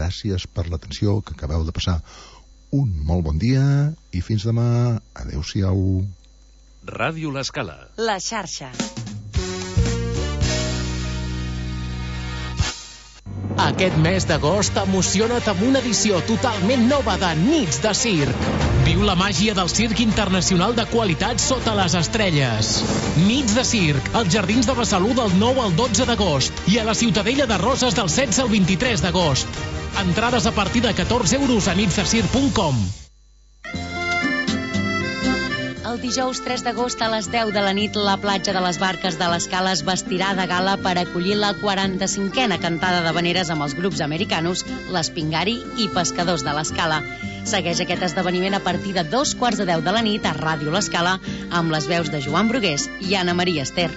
gràcies per l'atenció, que acabeu de passar un molt bon dia i fins demà. Adéu-siau. Ràdio L'Escala. La xarxa. Aquest mes d'agost emociona't amb una edició totalment nova de Nits de Circ. Viu la màgia del circ internacional de qualitat sota les estrelles. Nits de Circ, als Jardins de Besalú del 9 al 12 d'agost i a la Ciutadella de Roses del 16 al 23 d'agost. Entrades a partir de 14 euros a nitsdecirc.com. El dijous 3 d'agost a les 10 de la nit, la platja de les Barques de l'Escala es vestirà de gala per acollir la 45a cantada d'havaneres amb els grups americanos l'Espingari i Pescadors de l'Escala. Segueix aquest esdeveniment a partir de 2:15 de la nit a Ràdio L'Escala amb les veus de Joan Brugués i Anna Maria Ester.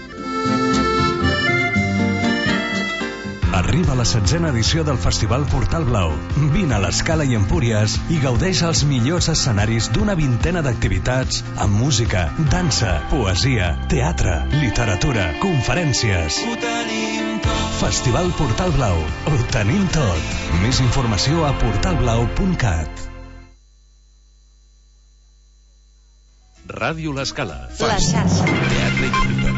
Arriba la 16a edició del Festival Portal Blau. Vine a l'Escala i Empúries i gaudeix els millors escenaris d'una vintena d'activitats amb música, dansa, poesia, teatre, literatura, conferències. Ho tenim tot. Festival Portal Blau. Ho tenim tot. Més informació a portalblau.cat. Ràdio L'Escala. La xarxa. Teatre i cultura.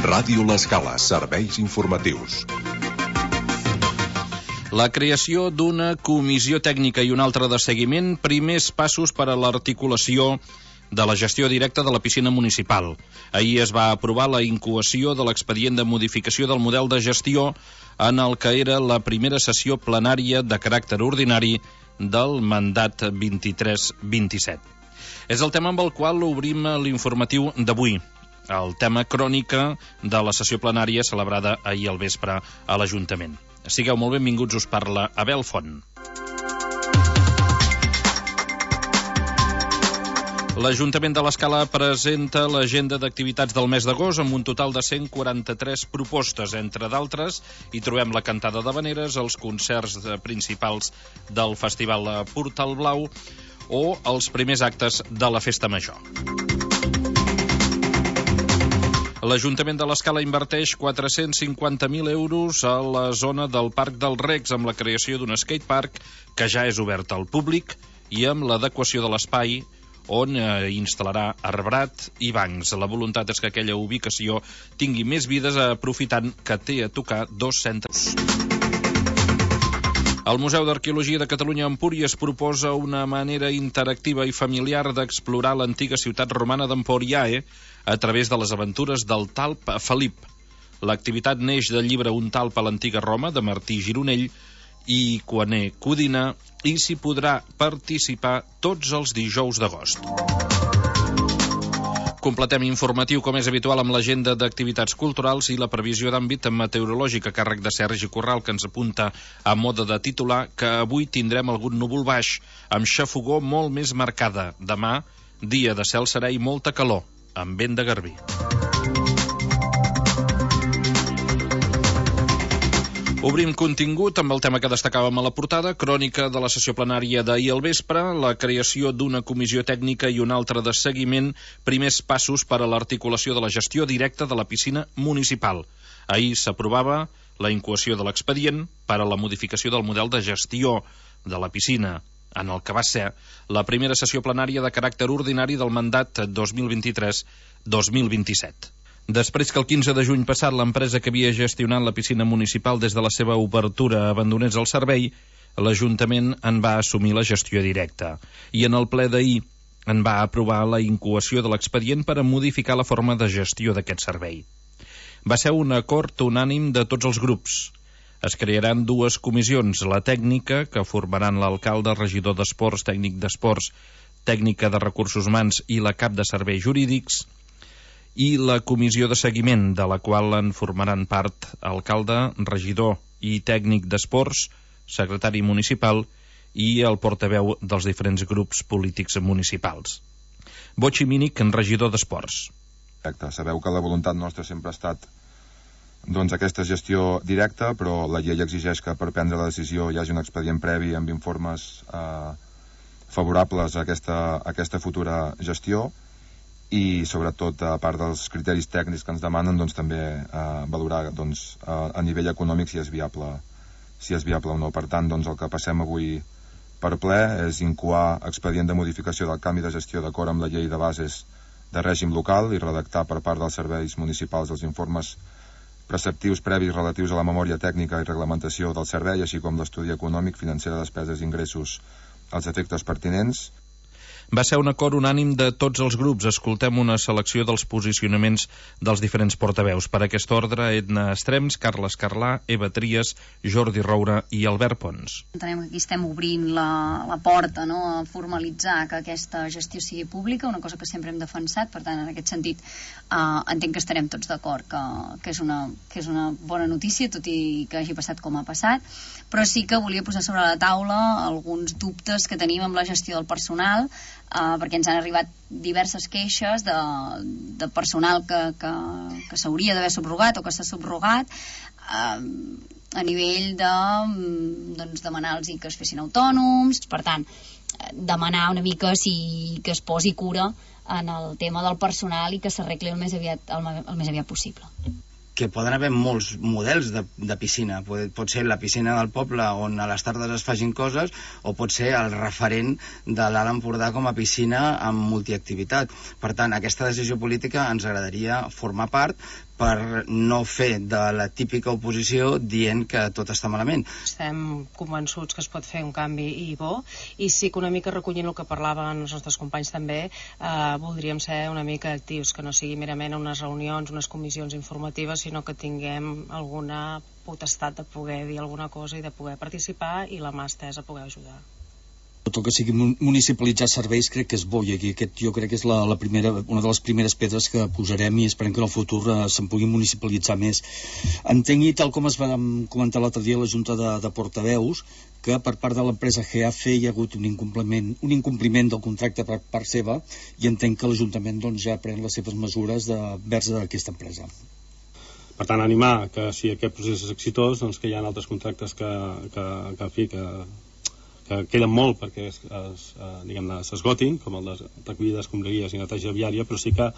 Ràdio L'Escala, serveis informatius. La creació d'una comissió tècnica i una altra de seguiment, primers passos per a l'articulació de la gestió directa de la piscina municipal. Ahir es va aprovar la incoació de l'expedient de modificació del model de gestió en el que era la primera sessió plenària de caràcter ordinari del mandat 23-27. És el tema amb el qual obrim l'informatiu d'avui. El tema crònica de la sessió plenària celebrada ahir al vespre a l'Ajuntament. Sigueu molt benvinguts, us parla Abel Font. L'Ajuntament de l'Escala presenta l'agenda d'activitats del mes d'agost amb un total de 143 propostes. Entre d'altres, hi trobem la cantada d'havaneres, els concerts principals del Festival Portal Blau o els primers actes de la Festa Major. L'Ajuntament de l'Escala inverteix 450.000 euros a la zona del Parc dels Recs amb la creació d'un skatepark que ja és obert al públic i amb l'adequació de l'espai on instal·larà arbrat i bancs. La voluntat és que aquella ubicació tingui més vides aprofitant que té a tocar 2 centres. El Museu d'Arqueologia de Catalunya a Empúries proposa una manera interactiva i familiar d'explorar l'antiga ciutat romana d'Emporiae a través de les aventures del talp Felip. L'activitat neix del llibre Un talp a l'antiga Roma, de Martí Gironell i Coaner Codina, i s'hi podrà participar tots els dijous d'agost. Completem informatiu, com és habitual, amb l'agenda d'activitats culturals i la previsió d'àmbit meteorològic a càrrec de Sergi Corral, que ens apunta a moda de titular que avui tindrem algun núvol baix, amb xafogor molt més marcada. Demà, dia de cel serè i molta calor, amb vent de garbí. Obrim contingut amb el tema que destacàvem a la portada, crònica de la sessió plenària d'ahir al vespre, la creació d'una comissió tècnica i una altra de seguiment, primers passos per a l'articulació de la gestió directa de la piscina municipal. Ahir s'aprovava la incoació de l'expedient per a la modificació del model de gestió de la piscina, en el que va ser la primera sessió plenària de caràcter ordinari del mandat 2023-2027. Després que el 15 de juny passat l'empresa que havia gestionat la piscina municipal des de la seva obertura abandonés el servei, l'Ajuntament en va assumir la gestió directa. I en el ple d'ahir en va aprovar la incoació de l'expedient per a modificar la forma de gestió d'aquest servei. Va ser un acord unànim de tots els grups. Es crearan 2 comissions, la tècnica, que formaran l'alcalde, regidor d'esports, tècnic d'esports, tècnica de recursos humans i la cap de serveis jurídics, i la comissió de seguiment, de la qual en formaran part alcalde, regidor i tècnic d'esports, secretari municipal i el portaveu dels diferents grups polítics municipals. Botxi Mínic, regidor d'esports. Sabeu que la voluntat nostra sempre ha estat aquesta gestió directa, però la llei exigeix que per prendre la decisió hi hagi un expedient previ amb informes favorables a aquesta futura gestió, i sobretot, a part dels criteris tècnics que ens demanen, doncs també valorar doncs, a nivell econòmic si és viable o no. Per tant, doncs, el que passem avui per ple és incoar expedient de modificació del canvi de gestió d'acord amb la llei de bases de règim local i redactar per part dels serveis municipals els informes preceptius previs relatius a la memòria tècnica i reglamentació del servei, així com l'estudi econòmic, financer de despeses i ingressos als efectes pertinents. Va ser un acord unànim de tots els grups. Escoltem una selecció dels posicionaments dels diferents portaveus. Per aquest ordre, Edna Estrems, Carles Carlà, Eva Trias, Jordi Roura i Albert Pons. Entenem que aquí estem obrint la porta, no?, a formalitzar que aquesta gestió sigui pública, una cosa que sempre hem defensat. Per tant, en aquest sentit, entenc que estarem tots d'acord que és una bona notícia, tot i que hagi passat com ha passat, però sí que volia posar sobre la taula alguns dubtes que tenim amb la gestió del personal, perquè ens han arribat diverses queixes de personal que s'hauria d'haver subrogat o que s'ha subrogat a nivell de demanar-los que es fessin autònoms. Per tant, demanar una mica que es posi cura en el tema del personal i que s'arregli el més aviat possible. Que poden haver molts models de piscina. Pot ser la piscina del poble on a les tardes es facin coses, o pot ser el referent de l'Alt Empordà com a piscina amb multiactivitat. Per tant, aquesta decisió política ens agradaria formar part per no fer de la típica oposició dient que tot està malament. Estem convençuts que es pot fer un canvi i bo, i sí que una mica recollint el que parlaven els nostres companys també, voldríem ser una mica actius, que no sigui merament unes reunions, unes comissions informatives, sinó que tinguem alguna potestat de poder dir alguna cosa i de poder participar i la mà estesa a poder ajudar. Tot el que sigui municipalitzar serveis crec que és bo, i aquí jo crec que és una de les primeres pedres que posarem, i esperem que en el futur se'n pugui municipalitzar més. Entenc, tal com es va comentar l'altre dia a la Junta de Portaveus, que per part de l'empresa GAF hi ha hagut un incompliment del contracte per part seva, i entenc que l'Ajuntament ja pren les seves mesures vers aquesta empresa. Per tant, animar que si aquest procés és exitós, doncs que hi ha altres contractes que queden molt perquè s'esgotin, com el de recollida d'escombraries i neteja viària, però sí que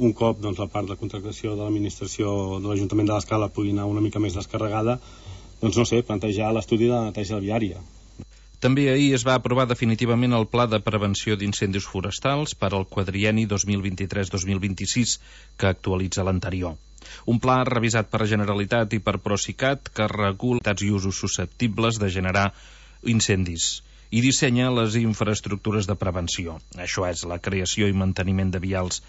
un cop la part de contractació de l'administració de l'Ajuntament de l'Escala pugui anar una mica més descarregada, plantejar l'estudi de neteja viària. També ahir es va aprovar definitivament el Pla de Prevenció d'Incendis Forestals per al quadrienni 2023-2026, que actualitza l'anterior. Un pla revisat per la Generalitat i per Procicat que regula activitats i usos susceptibles de generar incendis i dissenya les infraestructures de prevenció. Això és la creació i manteniment de vials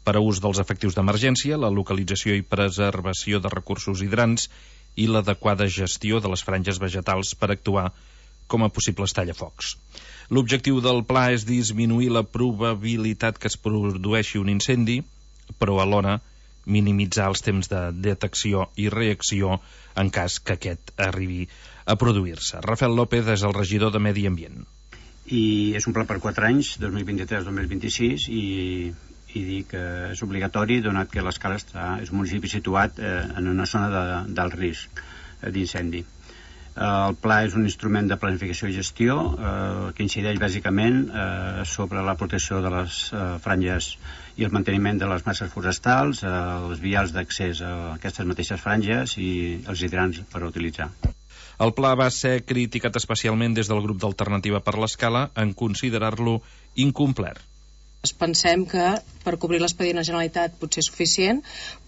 per a ús dels efectius d'emergència, la localització i preservació de recursos hidrants i l'adequada gestió de les franges vegetals per actuar com a possibles tallafocs. L'objectiu del pla és disminuir la probabilitat que es produeixi un incendi, però alhora minimitzar els temps de detecció i reacció en cas que aquest arribi a produir-se. Rafael López és el regidor de Medi Ambient. I és un pla per 4 anys, 2023-2026, i dir que és obligatori, donat que l'Escala és un municipi situat en una zona d'alt risc d'incendi. El pla és un instrument de planificació i gestió que incideix bàsicament sobre la protecció de les franges i el manteniment de les masses forestals, els vials d'accés a aquestes mateixes franges i els hidrants per utilitzar. El pla va ser criticat especialment des del grup d'Alternativa per l'Escala en considerar-lo incomplet. Pensem que per cobrir l'expedient a Generalitat potser és suficient,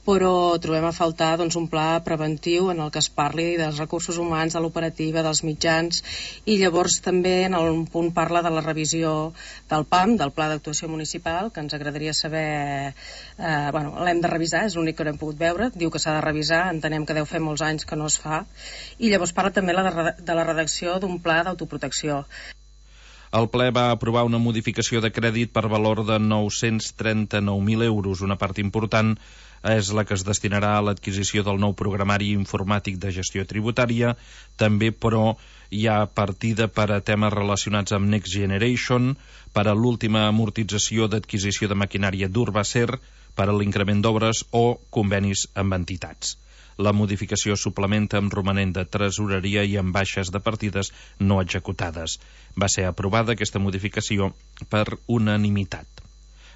però trobem a faltar un pla preventiu en el que es parli dels recursos humans, de l'operativa, dels mitjans, i llavors també en un punt parla de la revisió del PAM, del Pla d'Actuació Municipal, que ens agradaria saber... l'hem de revisar, és l'únic que no hem pogut veure, diu que s'ha de revisar, entenem que deu fer molts anys que no es fa, i llavors parla també de la redacció d'un pla d'autoprotecció. El ple va aprovar una modificació de crèdit per valor de 939.000 euros. Una part important és la que es destinarà a l'adquisició del nou programari informàtic de gestió tributària. També, però, hi ha partida per a temes relacionats amb Next Generation, per a l'última amortització d'adquisició de maquinària d'Urbacer, per a l'increment d'obres o convenis amb entitats. La modificació suplementa amb romanent de tresoreria i amb baixes de partides no executades. Va ser aprovada aquesta modificació per unanimitat.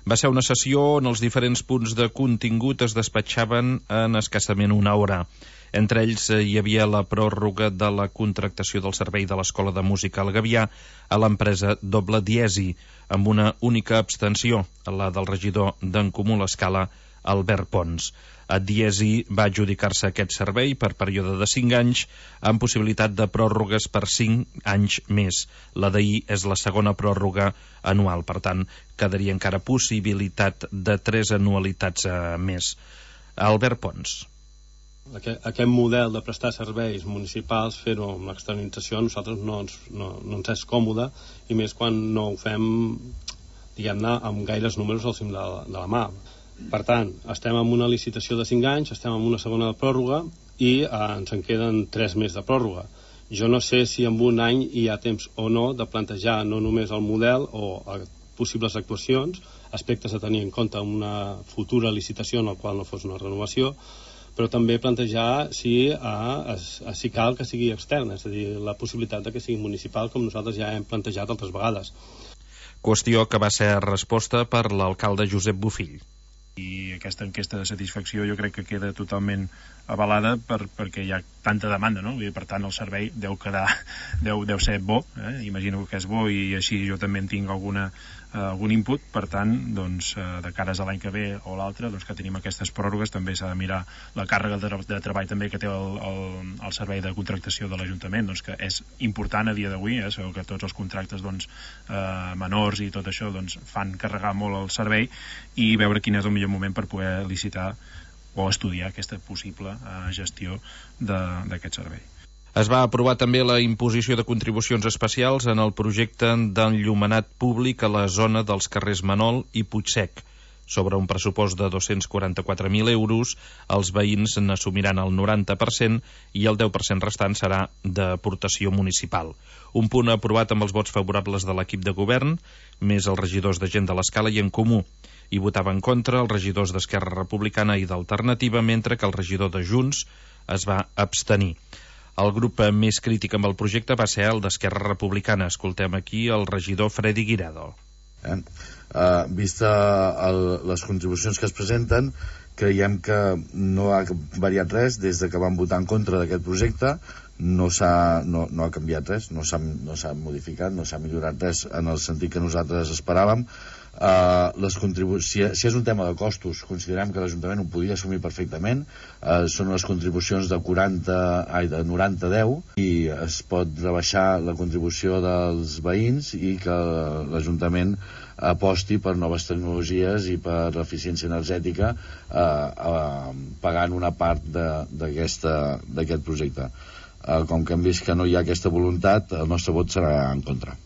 Va ser una sessió on els diferents punts de contingut es despatxaven en escassament una hora. Entre ells hi havia la pròrroga de la contractació del servei de l'Escola de Música al Gavià a l'empresa Doble Diesi, amb una única abstenció, la del regidor d'En Comú l'Escala, Albert Pons. A Diesi va adjudicar-se aquest servei per període de 5 anys, amb possibilitat de pròrrogues per 5 anys més. La d'ahir és la segona pròrroga anual, per tant, quedaria encara possibilitat de 3 anualitats més. Albert Pons. Aquest model de prestar serveis municipals, fer-ho amb l'externalització, a nosaltres no ens és còmode, i més quan no ho fem, diguem-ne, amb gaires números al cim de la mà. Per tant, estem en una licitació de 5 anys, estem en una segona pròrroga i ens en queden 3 més de pròrroga. Jo no sé si en un any hi ha temps o no de plantejar no només el model o possibles actuacions, aspectes a tenir en compte en una futura licitació en la qual no fos una renovació, però també plantejar si cal que sigui externa, és a dir, la possibilitat de que sigui municipal, com nosaltres ja hem plantejat altres vegades. Qüestió que va ser resposta per l'alcalde Josep Bofill. I aquesta enquesta de satisfacció jo crec que queda totalment avalada perquè hi ha tanta demanda, no? I per tant el servei deu ser bo, imagino que és bo, i així jo també en tinc algun input. Per tant, doncs, de cares a l'any que ve o l'altre, doncs, que tenim aquestes pròrrogues, també s'ha de mirar la càrrega de treball també que té el servei de contractació de l'Ajuntament, doncs, que és important a dia d'avui, sabeu que tots els contractes menors i tot això fan carregar molt el servei, i veure quin és el millor moment per poder licitar o estudiar aquesta possible gestió d'aquest servei. Es va aprovar també la imposició de contribucions especials en el projecte d'enllumenat públic a la zona dels carrers Manol i Puigsec. Sobre un pressupost de 244.000 euros, els veïns n'assumiran el 90% i el 10% restant serà d'aportació municipal. Un punt aprovat amb els vots favorables de l'equip de govern, més els regidors de Gent de l'Escala i En Comú. Hi votaven contra els regidors d'Esquerra Republicana i d'Alternativa, mentre que el regidor de Junts es va abstenir. El grup més crític amb el projecte va ser el d'Esquerra Republicana. Escoltem aquí el regidor Freddy Guirado. Vista les contribucions que es presenten, creiem que no ha variat res des de que vam votar en contra d'aquest projecte. No ha canviat res, no s'ha modificat, no s'ha millorat res en el sentit que nosaltres esperàvem. Si és un tema de costos, considerem que l'Ajuntament ho podia assumir perfectament. Són les contribucions de 90-10 i es pot rebaixar la contribució dels veïns i que l'Ajuntament aposti per noves tecnologies i per eficiència energètica, pagant una part d'aquest projecte. Com que hem vist que no hi ha aquesta voluntat, el nostre vot serà en contra.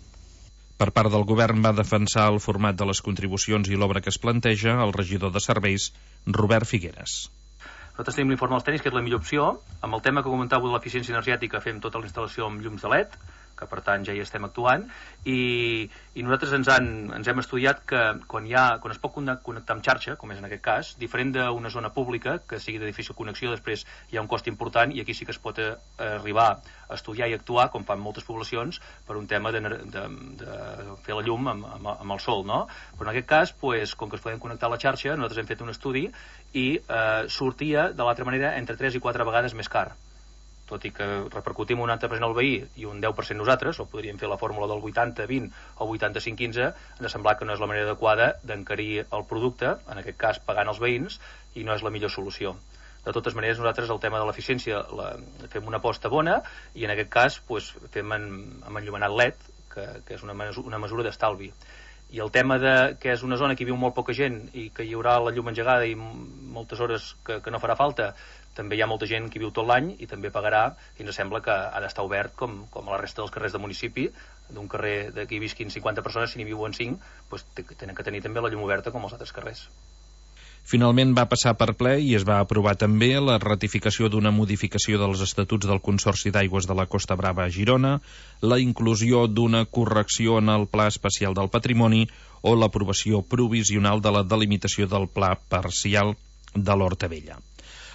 Per part del govern va defensar el format de les contribucions i l'obra que es planteja el regidor de serveis, Robert Figueres. Nosaltres tenim l'informe dels tècnics, que és la millor opció. Amb el tema que comentàveu de l'eficiència energètica, fem tota la instal·lació amb llums de LED, que per tant ja hi estem actuant, i nosaltres ens hem estudiat que quan es pot connectar amb xarxa, com és en aquest cas, diferent d'una zona pública que sigui de difícil connexió, després hi ha un cost important, i aquí sí que es pot arribar a estudiar i actuar, com fan moltes poblacions, per un tema de fer la llum amb el sol, no? Però en aquest cas, com que es podem connectar a la xarxa, nosaltres hem fet un estudi i sortia de l'altra manera entre 3 i 4 vegades més car. Tot i que repercutim un 90% al veí i un 10% nosaltres, o podríem fer la fórmula del 80-20 o 85-15, ens sembla que no és la manera adequada d'encarir el producte, en aquest cas pagant els veïns, i no és la millor solució. De totes maneres, nosaltres el tema de l'eficiència fem una aposta bona, i en aquest cas fem amb enllumenat LED, que és una mesura d'estalvi. I el tema que és una zona que hi viu molt poca gent i que hi haurà la llum engegada i moltes hores que no farà falta, també hi ha molta gent que viu tot l'any i també pagarà, i ens sembla que ha d'estar obert com a la resta dels carrers del municipi. D'un carrer d'aquí visquin 50 persones, si n'hi viuen 5, tenen que tenir també la llum oberta com els altres carrers. Finalment va passar per ple i es va aprovar també la ratificació d'una modificació dels estatuts del Consorci d'Aigües de la Costa Brava a Girona, la inclusió d'una correcció en el Pla Especial del Patrimoni o l'aprovació provisional de la delimitació del Pla Parcial de l'Horta Vella.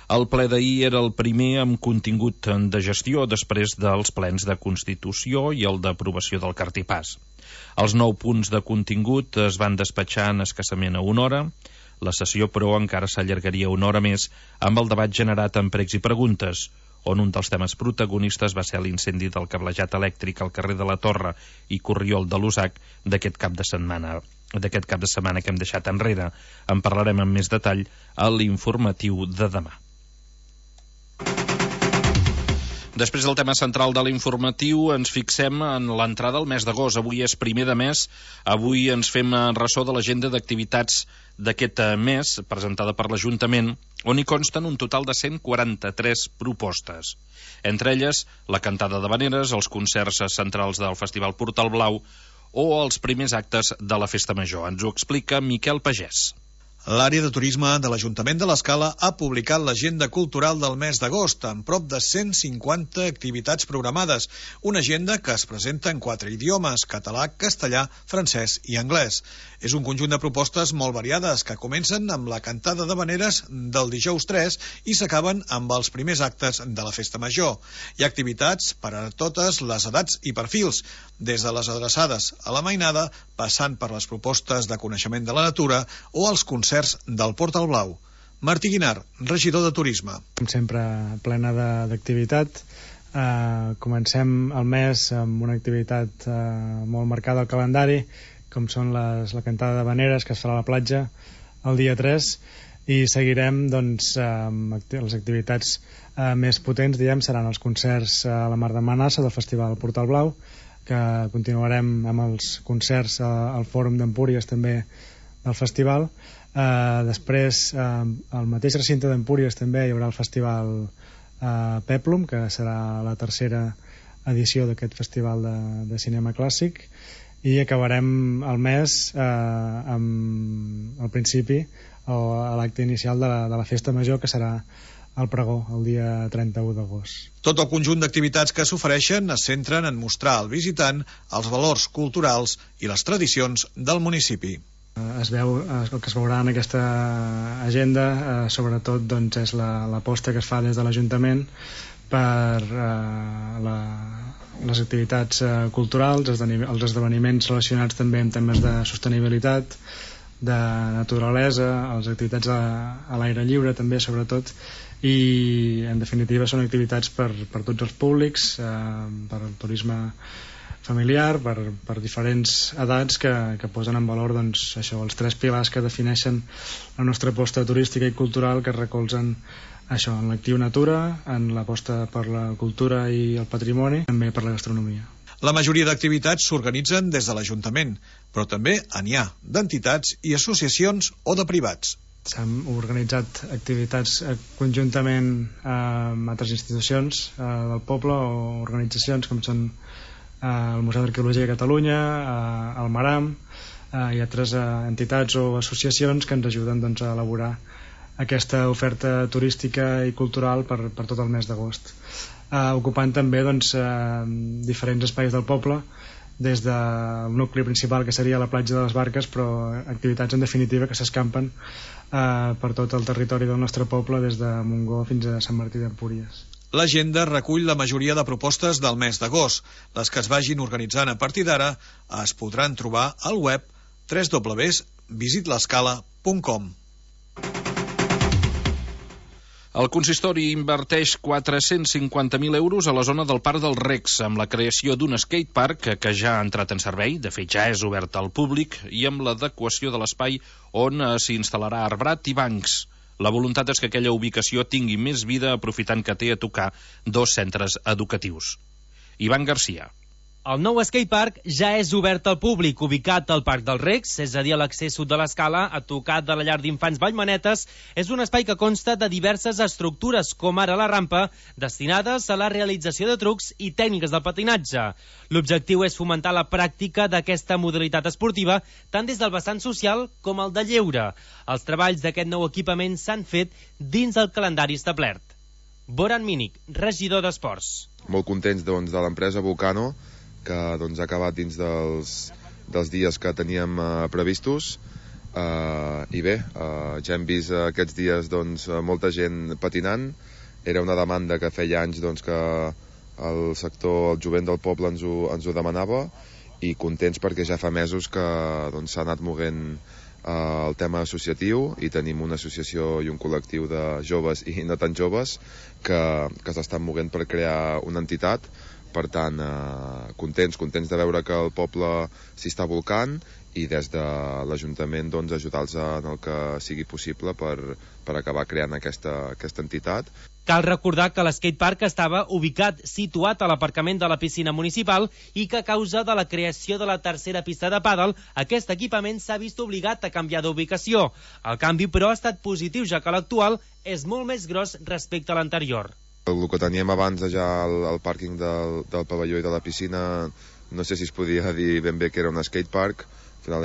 El ple d'ahir era el primer amb contingut de gestió després dels plens de Constitució i el d'aprovació del cartipàs. Els 9 punts de contingut es van despatxar en escassament a 1 hora. La sessió, però, encara s'allargaria 1 hora més amb el debat generat en pregs i preguntes, on un dels temes protagonistes va ser l'incendi del cablejat elèctric al carrer de la Torre i Corriol de l'Usac d'aquest cap de setmana que hem deixat enrere. En parlarem amb més detall a l'informatiu de demà. Després del tema central de l'informatiu, ens fixem en l'entrada al mes d'agost. Avui és primer de mes, avui ens fem ressò de l'agenda d'activitats d'aquest mes, presentada per l'Ajuntament, on hi consten un total de 143 propostes. Entre elles, la cantada d'havaneres, els concerts centrals del Festival Portal Blau o els primers actes de la Festa Major. Ens ho explica Miquel Pagès. L'àrea de turisme de l'Ajuntament de l'Escala ha publicat l'agenda cultural del mes d'agost, amb prop de 150 activitats programades, una agenda que es presenta en 4 idiomes, català, castellà, francès i anglès. És un conjunt de propostes molt variades que comencen amb la cantada d'havaneres del dijous 3 i s'acaben amb els primers actes de la Festa Major. Hi ha activitats per a totes les edats i perfils, des de les adreçades a la mainada, passant per les propostes de coneixement de la natura o els concerts del Portal Blau. Martí Guinar, regidor de Turisme. Com sempre, plena d'activitat. Comencem el mes amb una activitat molt marcada al calendari, com són la cantada d'havaneres que es farà a la platja el dia 3, i seguirem doncs, amb les activitats més potents, diguem, seran els concerts a la Mar de Manassa del Festival Portal Blau, que continuarem amb els concerts al Fòrum d'Empúries també del festival. Després, al mateix recinte d'Empúries també hi haurà el Festival Peplum, que serà la tercera edició d'aquest festival de cinema clàssic, i acabarem el mes al principi a l'acte inicial de la Festa Major, que serà el pregó, el dia 31 d'agost. Tot el conjunt d'activitats que s'ofereixen es centren en mostrar al visitant els valors culturals i les tradicions del municipi. El que es veurà en aquesta agenda sobretot doncs, és l'aposta que es fa des de l'Ajuntament per les activitats culturals, els esdeveniments relacionats també amb temes de sostenibilitat, de naturalesa, les activitats a l'aire lliure també sobretot, i en definitiva són activitats per tots els públics, per el turisme familiar, per diferents edats que posen en valor doncs, això, els 3 pilars que defineixen la nostra aposta turística i cultural, que recolzen això, en l'actiu natura, en l'aposta per la cultura i el patrimoni, també per la gastronomia. La majoria d'activitats s'organitzen des de l'Ajuntament, però també n'hi ha d'entitats i associacions o de privats. S'han organitzat activitats conjuntament amb altres institucions del poble o organitzacions com són el Museu d'Arqueologia de Catalunya, el Maram i altres entitats o associacions que ens ajuden doncs, a elaborar aquesta oferta turística i cultural per tot el mes d'agost, ocupant també doncs, diferents espais del poble, des del nucli principal que seria la platja de les Barques, però activitats en definitiva que s'escampen per tot el territori del nostre poble, des de Montgó fins a Sant Martí d'Empúries. L'agenda recull la majoria de propostes del mes d'agost. Les que es vagin organitzant a partir d'ara es podran trobar al web www.visitlescala.com. El consistori inverteix 450.000 euros a la zona del Parc dels Recs amb la creació d'un skatepark que ja ha entrat en servei, de fet ja és obert al públic, i amb l'adequació de l'espai on s'hi instal·larà arbrat i bancs. La voluntat és que aquella ubicació tingui més vida aprofitant que té a tocar 2 centres educatius. Ivan Garcia. El nou skatepark ja és obert al públic, ubicat al Parc dels Recs, és a dir, a l'accés sud de l'Escala, a tocar de la llar d'infants Vallmanetes. És un espai que consta de diverses estructures, com ara la rampa, destinades a la realització de trucs i tècniques del patinatge. L'objectiu és fomentar la pràctica d'aquesta modalitat esportiva, tant des del vessant social com el de lleure. Els treballs d'aquest nou equipament s'han fet dins el calendari establert. Boran Mínic, regidor d'Esports. Molt contents de l'empresa Volcano, que ha acabat dins dels dies que teníem previstos. I bé, ja hem vist aquests dies doncs, molta gent patinant. Era una demanda que feia anys doncs, que el sector, el jovent del poble ens ho demanava, i contents perquè ja fa mesos que doncs, s'ha anat movent el tema associatiu, i tenim una associació i un col·lectiu de joves i no tan joves que s'estan movent per crear una entitat. Per tant, contents de veure que el poble s'hi està volcant, i des de l'Ajuntament doncs, ajudar-los en el que sigui possible per acabar creant aquesta entitat. Cal recordar que l'skatepark estava situat a l'aparcament de la piscina municipal i que a causa de la creació de la tercera pista de pàdel, aquest equipament s'ha vist obligat a canviar d'ubicació. El canvi, però, ha estat positiu, ja que l'actual és molt més gros respecte a l'anterior. El que teníem abans ja al pàrquing del pavelló i de la piscina, no sé si es podia dir ben bé que era un skatepark. Al final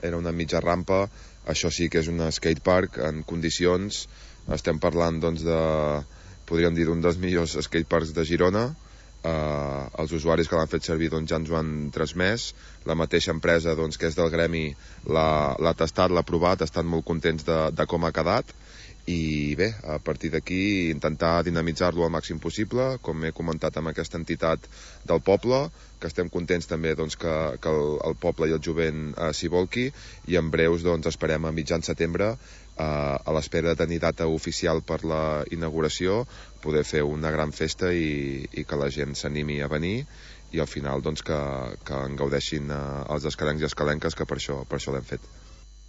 era una mitja rampa. Això sí que és un skatepark en condicions. Estem parlant doncs, podríem dir, d'un dels millors skateparks de Girona. Els usuaris que l'han fet servir doncs, ja ens ho han transmès. La mateixa empresa doncs, que és del gremi l'ha tastat, l'ha provat, estan molt contents de com ha quedat. I bé, a partir d'aquí intentar dinamitzar-lo al màxim possible, com he comentat amb aquesta entitat del poble, que estem contents també doncs, que el poble i el jovent s'hi volqui, i en breus doncs, esperem a mitjan setembre, a l'espera de tenir data oficial per la inauguració, poder fer una gran festa i que la gent s'animi a venir, i al final doncs, que en gaudeixin els escalencs i escalenques, que per això l'hem fet.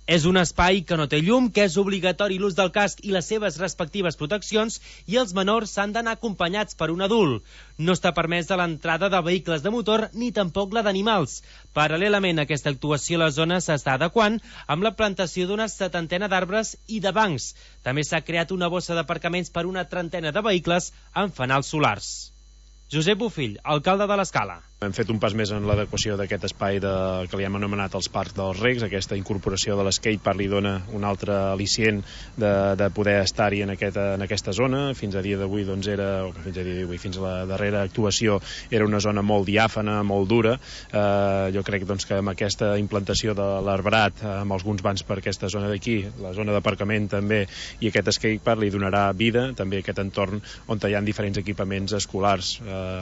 És un espai que no té llum, que és obligatori l'ús del casc i les seves respectives proteccions, i els menors s'han d'anar acompanyats per un adult. No està permès de l'entrada de vehicles de motor ni tampoc la d'animals. Paral·lelament a aquesta actuació, la zona s'està adequant amb la plantació d'una 70 d'arbres i de bancs. També s'ha creat una bossa d'aparcaments per una 30 de vehicles amb fanals solars. Josep Bofill, alcalde de l'Escala. Hem fet un pas més en l'adequació d'aquest espai que li hem anomenat els Parcs dels Recs. Aquesta incorporació de l'skatepark li dona un altre al·licient de poder estar-hi en aquesta zona. Fins a dia d'avui, fins a la darrera actuació, era una zona molt diàfana, molt dura. Jo crec doncs, que amb aquesta implantació de l'arbrat, amb alguns bancs per aquesta zona d'aquí, la zona d'aparcament també, i aquest skatepark li donarà vida també a aquest entorn on hi ha diferents equipaments escolars,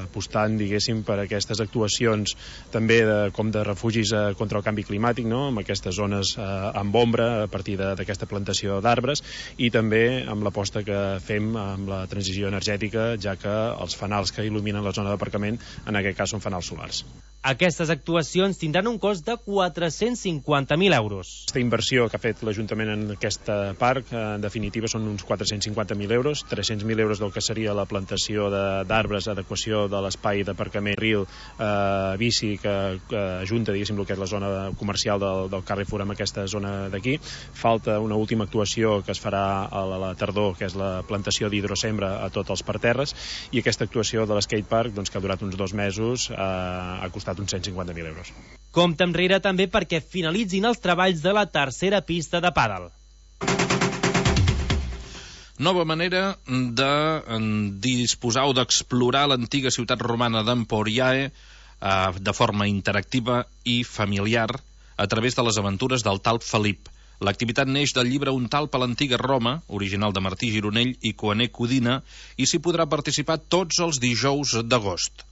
apostant, diguéssim, per aquestes actuacions també com de refugis contra el canvi climàtic, no? Amb aquestes zones amb ombra a partir d'aquesta plantació d'arbres, i també amb l'aposta que fem amb la transició energètica, ja que els fanals que il·luminen la zona d'aparcament en aquest cas són fanals solars. Aquestes actuacions tindran un cost de 450.000 euros. Aquesta inversió que ha fet l'Ajuntament en aquest parc, en definitiva, són uns 450.000 euros, 300.000 euros del que seria la plantació d'arbres, adequació de l'espai d'aparcament Ril, bici, que ajunta, diguéssim, el que és la zona comercial del Carrefour amb aquesta zona d'aquí. Falta una última actuació que es farà a la tardor, que és la plantació d'hidrosembra a tots els parterres, i aquesta actuació de l'skatepark, doncs, que ha durat uns 2 mesos, ha costat uns 150.000 euros. Compte enrere també perquè finalitzin els treballs de la tercera pista de pàdel. Nova manera de disposar o d'explorar l'antiga ciutat romana d'Emporiae de forma interactiva i familiar a través de les aventures del talp Felip. L'activitat neix del llibre Un talp a l'antiga Roma, original de Martí Gironell i Coaner Codina, i s'hi podrà participar tots els dijous d'agost.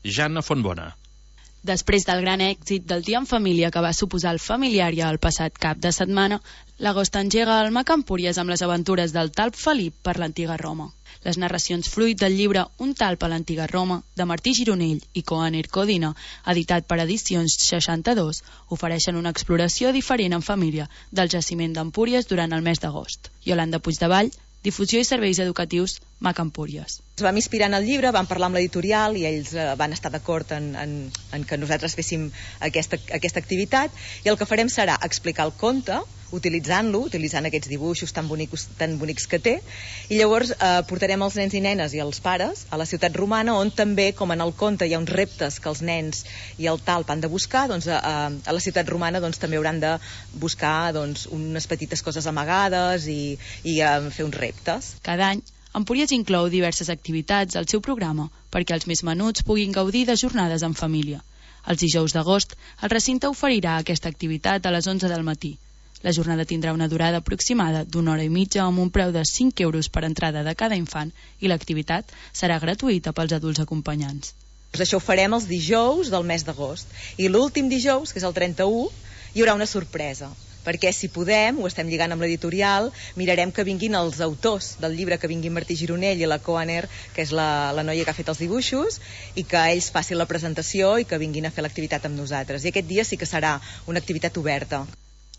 Jana Fontbona. Després del gran èxit del dia en família que va suposar el Familiària el passat cap de setmana, l'agost engega el Mac Empúries amb les aventures del talp Felip per l'antiga Roma. Les narracions fruit del llibre Un talp a l'antiga Roma, de Martí Gironell i Coaner Codina, editat per Edicions 62, ofereixen una exploració diferent en família del jaciment d'Empúries durant el mes d'agost. Iolanda Puigdevall, Difusió i Serveis Educatius, Mac Empúries. Ens vam inspirar en el llibre, vam parlar amb l'editorial i ells van estar d'acord en que nosaltres féssim aquesta activitat, i el que farem serà explicar el conte, utilitzant aquests dibuixos tan bonics que té, i llavors portarem els nens i nenes i els pares a la ciutat romana, on també, com en el conte, hi ha uns reptes que els nens i el talp han de buscar, doncs a la ciutat romana doncs, també hauran de buscar doncs, unes petites coses amagades i fer uns reptes. Cada any, Empúries inclou diverses activitats al seu programa perquè els més menuts puguin gaudir de jornades en família. Els dijous d'agost, el recinte oferirà aquesta activitat a les 11 del matí. La jornada tindrà una durada aproximada d'una hora i mitja amb un preu de 5 euros per entrada de cada infant i l'activitat serà gratuïta pels adults acompanyants. Això ho farem els dijous del mes d'agost i l'últim dijous, que és el 31, hi haurà una sorpresa, perquè si podem, ho estem lligant amb l'editorial, mirarem que vinguin els autors del llibre, que vinguin Martí Gironell i la Coaner, que és la noia que ha fet els dibuixos, i que ells facin la presentació i que vinguin a fer l'activitat amb nosaltres. I aquest dia sí que serà una activitat oberta.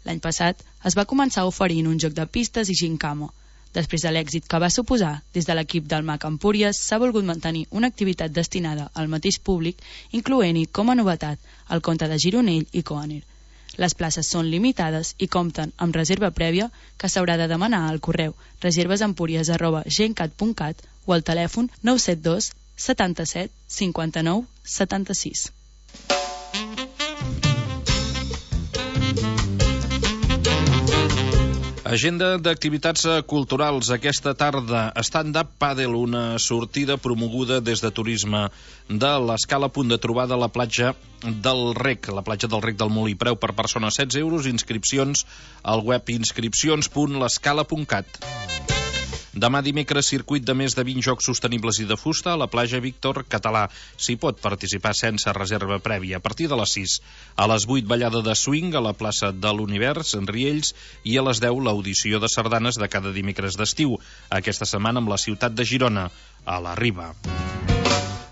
L'any passat es va començar oferint un joc de pistes i gincama. Després de l'èxit que va suposar, des de l'equip del MAC Empúries s'ha volgut mantenir una activitat destinada al mateix públic, incloent-hi com a novetat el conte de Gironell i Coaner. Les places són limitades i compten amb reserva prèvia que s'haurà de demanar al correu reservesempúries@gencat.cat o al telèfon 972 77 59 76. Agenda d'activitats culturals aquesta tarda. Stand-up Paddle, una sortida promoguda des de Turisme de l'Escala, a punt de trobada a la platja del Rec, la platja del Rec del Molí. Preu per persona 16 euros, inscripcions al web inscripcions.l'escala.cat. Demà dimecres, circuit de més de 20 jocs sostenibles i de fusta a la platja Víctor Català. S'hi pot participar sense reserva prèvia. A partir de les 6, a les 8, ballada de swing a la plaça de l'Univers, en Riells, i a les 10, l'audició de sardanes de cada dimecres d'estiu. Aquesta setmana amb la ciutat de Girona, a la Riba.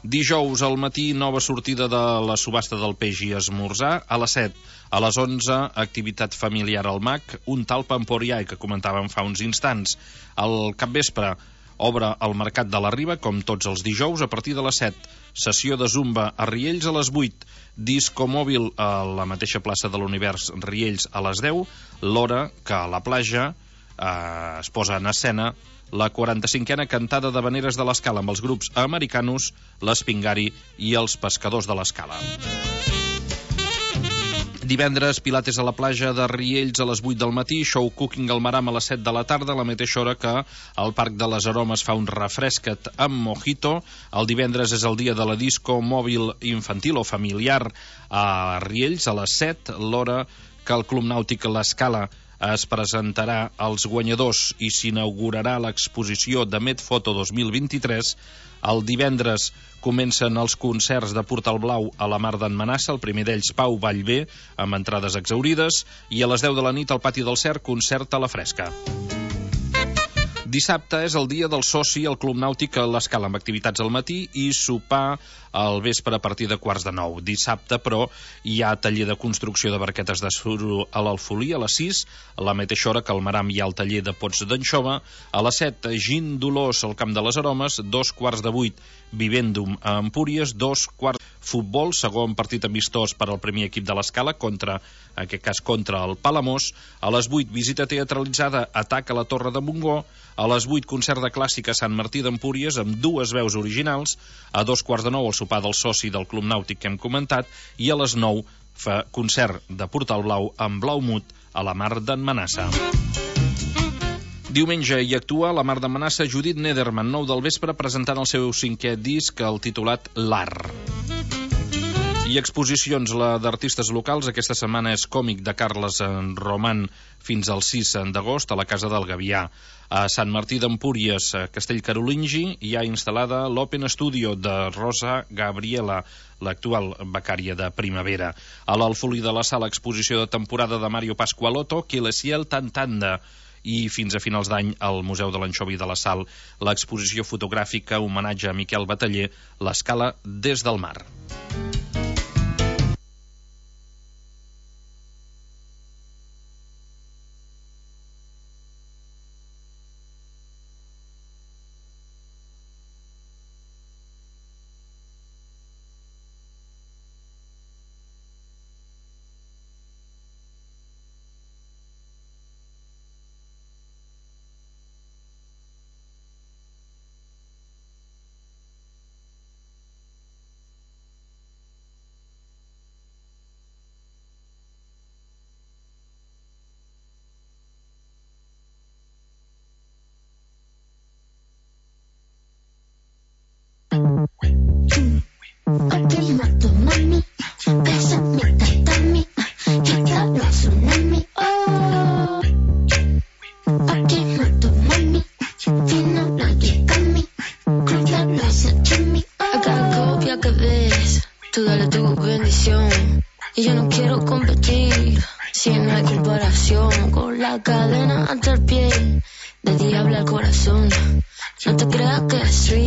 Dijous al matí, nova sortida de la subhasta del peix i esmorzar. A les 7, a les 11, activitat familiar al MAC, un talp emporià que comentàvem fa uns instants. Al capvespre obre el Mercat de la Riba, com tots els dijous, a partir de les 7. Sessió de zumba a Riells a les 8. Disco mòbil a la mateixa plaça de l'Univers, Riells, a les 10. L'hora que a la platja es posa en escena la 45a cantada d'Havaneres de l'Escala amb els grups Americanos, l'Espingari i els Pescadors de l'Escala. Divendres, pilates a la platja de Riells a les 8 del matí, show cooking al Maram a les 7 de la tarda, a la mateixa hora que al Parc de les Aromes fa un refresca't amb mojito. El divendres és el dia de la disco mòbil infantil o familiar a Riells a les 7, l'hora que el Club Nàutic l'Escala es presentarà als guanyadors i s'inaugurarà l'exposició de Medfoto 2023. El divendres comencen els concerts de Portal Blau a la Mar d'en Manassa, el primer d'ells Pau Vallvé, amb entrades exhaurides, i a les 10 de la nit al Pati del Cer, concert a la fresca. Dissabte és el dia del soci al Club Nàutic a l'Escala, amb activitats al matí i sopar al vespre a partir de 8:45. Dissabte, però, hi ha taller de construcció de barquetes de suro a l'Alfolí a les 6, a la mateixa hora que al Maram hi ha el taller de pots d'anxova. A les 7, Gin Dolors al Camp de les Aromes, 7:15, Vivendum a Empúries, 2:15, futbol, segon partit amistós per al primer equip de l'Escala, en aquest cas contra el Palamós. A les 8, visita teatralitzada, Atac a la Torre de Montgó. A les 8, concert de clàssica a Sant Martí d'Empúries amb 2 veus originals. A 8:45, el sopar del soci del Club Nàutic que hem comentat. I a les 9, fa concert de Portal Blau amb Blaumut a la Mar d'en Manassa. Diumenge hi actua a la Mar d'en Manassa Judit Nederman, 9 del vespre, presentant el seu 5è disc, el titulat L'Art. I exposicions, la d'artistes locals. Aquesta setmana és còmic de Carles Roman fins al 6 d'agost a la Casa del Gavià. A Sant Martí d'Empúries, a Castell Carolingi, hi ha instal·lada l'Open Studio de Rosa Gabriela, l'actual becària de primavera. A l'Alfolí de la Sala, exposició de temporada de Mario Pasqualotto, Que le ciel t'entenda. I fins a finals d'any al Museu de l'Anxovi de la Sal, l'exposició fotogràfica homenatge a Miquel Bataller, l'Escala des del mar. Mami, bésame, tatami, que calor tsunami, oh. y yo no quiero competir. Si no hay comparación, con la cadena ante el pie, de diablo al corazón. No te creas que es street.